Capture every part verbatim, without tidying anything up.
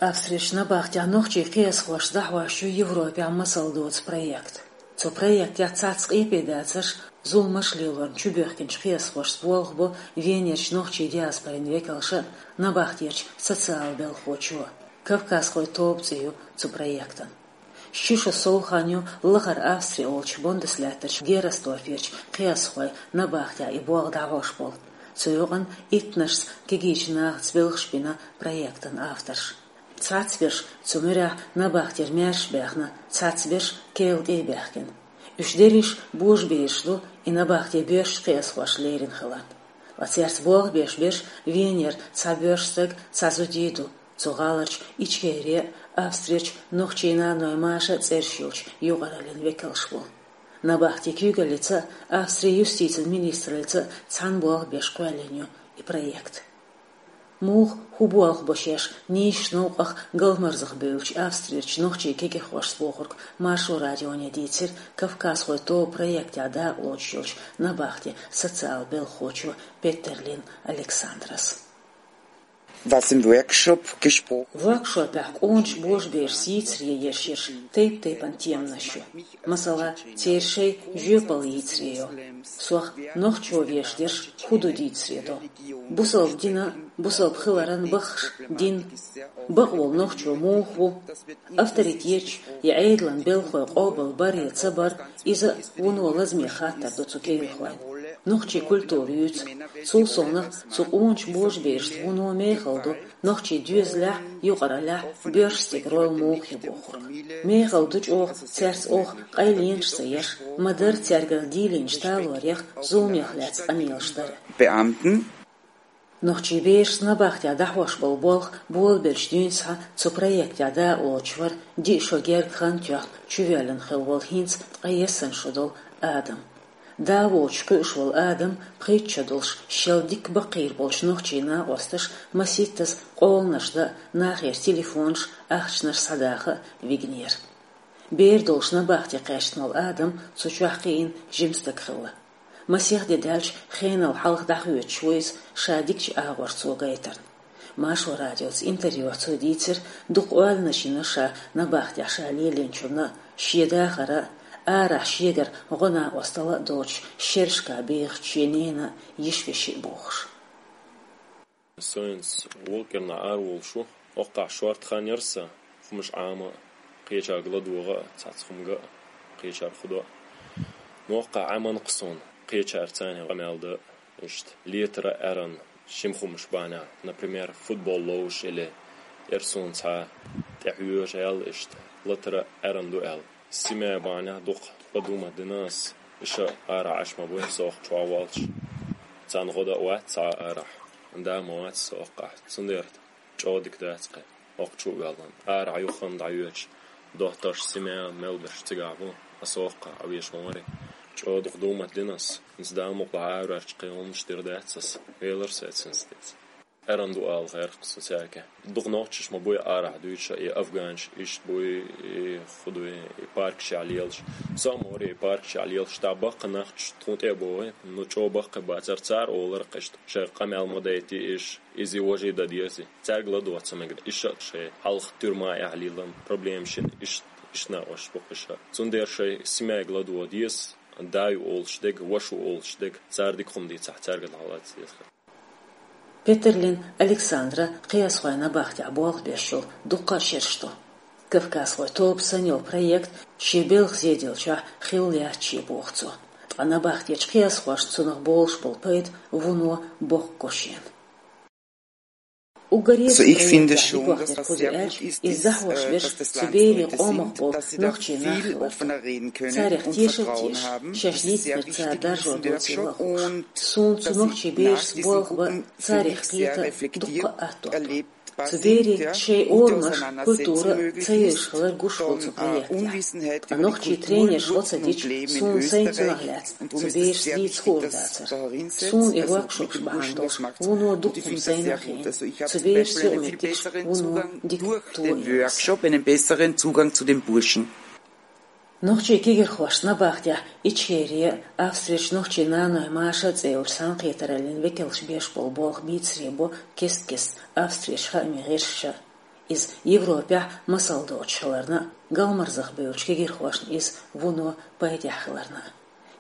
Австрерчу набахтехь нохчийн кхиазхошца дӀахьош ю Европехь масал доцу проект. Цу проектехь цхьацца къепе дацарш, зуламаш лелорна чубоьхкинчу кхиазхошца болх бо Венерчу нохчийн диаспорин векалша а, набахтерчу социал белхахочо а. «Кавказхой тоба» цӀе ю цу проектан. Ши шо сов хан ю лахара Австри олучу Бондеслаьттарчу Герресдорферчу кхиазхойн набахтехь и болх дӀахьош болу. Цу юкъана иттаннашца кегийчу нахаца белхаш бина проектан авторш. Цхьацца берш цу муьрехь набахтера маьрша баьхна, цхьацца берш Кела тӀе а баьхкина. Уьш дерриш божабераш ду, и набахте боьршачу кхиазхоша лерина хиларна. Ткъа цаьрца болх беш берш Венера цхьа боьрша стаг, цхьа зудий ду. Цу гӀаларчу Ичкери а, Австрерчу нохчийн наной Маша а цӀераш йолчу юкъараллин векалш бу. Набахтин куьйгаллица а, Австрин юстицин министраллица а цхьаьна болх беш кхоьллина ю и проект. Муха, хӀун болх бо шаьш нийсачу новкъах галмазах бевллачу Австрерчу нохчийн кегийрхошца бохург Маршо радионе дийцира «Кавказхой тоба» проектехь дакъалоцуш йолчу набахтин социал белхахочо Петерлин Александрас. Was im Workshop gesprochen Воркшопехь къоначу божаберашца йийцаре еш ерш тайп-тайпана теманаш ю. Масала, церан шайн жоьпалла йийцаре йо. Сох нохчо веш дерш хӀун ду дийцаре до. Бусалба динан, бусалба хиларан баххаш дин, бакъволу нохчо муха ву, авторитеташ я Ӏедалан белхалой къобал бар я ца бар, иза а вуно лазаме хаттар ду цу кегийрхойн. Нохчийн культура юьйцу. Цул совнаха цу къоначу божаберашца вуно мехала ду, нохчийн доьзалехь а, юкъараллехь а боьрша стеган роль муха ю бохург. Мехала ду чӀогӀа цаьрца оха къайленаш ца еш, ма-дарра цаьргара дийлинчу талорех, зуламех лаьцна къамелаш дар. Beamten. Нохчийн берашца набахтехь дӀахьош болу болх болабелча дуьйна схьа цу проектехь дакъалоцуш вара диъ шо гергга хан тоьхна чувоьллина хилла волу, хӀинца ткъе ялх шо долу Адам. Да воцуш кхуьуш волу Адам пхийтта шо долуш шел дика баккхийра болчу нохчийн накъосташа масийттаза къоланаш дан а, нахера телефонаш, ахчанаш схьадаха а вигнера. Бер долуш набахте кхаьчна волу Адам цу чохь кхиийна жима стаг хилла. Масех де даьлча хенал хьалха дӀахоьцуш ву иза ша дикачу агӀор цо гайтарна. Маршо радиоца интервьюхь цо дийцира, дукха ойланаш йина ша набахтехь ша лелийначунна а, шен дахар а, арахь шегара гӀо-накъосталла а доцуш шерашкахь бехачу шен ненан а, йиша-вешин а бохуш. Со хӀинца Воккерна араволуш ву, оккхахь шорта хан яра сан, хӀумаш Ӏама а, кхечаьрга ладогӀа а, цхьацца хӀума ган а, кхечаьрга хӀу дан а. Но оккхахь Ӏемина-кх суна кхечаьрца къамел дан а, иштта летара а, аьррана а, шим хӀумаш бахьанехь, например, футбол ловзуш или, яра суна цхьа тӀехьоьжу аьлла, иштта латара а, аьррана ду аьлла. Семья бахьанехь дукха ладугӀу ма дина ас, иштта арахь Ӏаш ма бу со оккхахь чохь волчу. Царна гӀо дан а вац цхьа а арахь, да ма вац со оккхахь. Цундела чӀогӀа дика дац кхин оккхахь чу а ваьлла. Арахь юххана дӀайоьдуш, дохторш, семья мел берш цигахь бу, ас оккхахь Ӏан веш ма вари. ЧӀогӀа дукха дугӀу ма дина ас, хӀинца Дала мукъалахь араваьлча кхин хӀуманаш дийр дац ас, велар сецна стица. Аьррана ду ала гӀерта со цаьрга. Дукха нохчаш ма буй арахь дуьйцуш, и афганаш, иштта буй, и хӀу дуй, и паркашкахь лелаш. Со а ма вари и паркашкахь лелаш, тӀаккха баккхий нах тхуна тӀе а богӀий, ну чӀогӀа баккхий бацара, цара олура-кх иштта, шайн къамел ма дайтий иштта, иза важа дан дезий. Цаьрга ладогӀа ца мегар, иштта шайн хьалха туьрма тӀехь лелийна проблемаш йина, иштта, иштта накъосташ бу-кх иштта. Цундела шайн семьяга ладогӀа деза, да ю олуш дерг, ваша ву олуш дерг, цара дика хӀума дийцахь, цаьрга ладогӀа деза. Петерлин Александра кхиазхойн набахтехь болх беш йолу дуккха а шераш ду. Кавказхойн тоба санна йолу проект шен белхан зеделлачохь хилла яц шен, боху цо. Ткъа набахтечу кхиазхошна цунах болуш болу пайда вуно боккха го шена. Уггаре а цу проектехь дика вахтар хӀун ду аьлча, иза дӀахьош берш цу берийн къомах болу нохчийн нах хилар. Царех тешал а тешаш, шаьш дийцинарг цара даржо доцийла а хууш. Суна цу нохчийн берашца болх бан, царех кхета дуккха а атто. Цу берийн шайн орамаш, культура ца евзаш хилар гуш хуьлу цу проектехь. Ткъа нохчийн тренерш гӀо ца дича, суна сайна цунах лаьцна цу берашца дийца хуур дацара. Суна и воркшопаш бахьана долуш вуно дуккха хӀума сайна а хиъна. Цу берашца юкъаметтигаш вуно дика тойина. Workshop einen besseren Zugang zu den Burschen. Нохчийн кегийрхошца набахтехь Ичкери а, Австрерчу нохчийн наной Маша а цӀе йолчу цхьаьнакхетараллин векалш беш болу болх бийцаре бо кест-кеста Австрерчу хаамийн гӀирсаша а. Иза Европехь масал доцуш хиларна а, галмарзах бевллачу кегийрхошна иза вуно пайдехь хиларна а.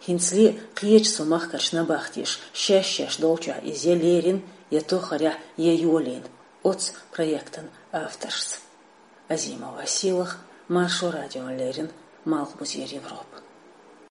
ХӀинцале а кхечу цу махкарчу набахтеша шаьш-шаьш долчохь иза я лерина, я тохарехь, я йолийна оцу проектан авторшца. Азимова Сийлаха, Маршо радиона леррина, Малхбузера Европа.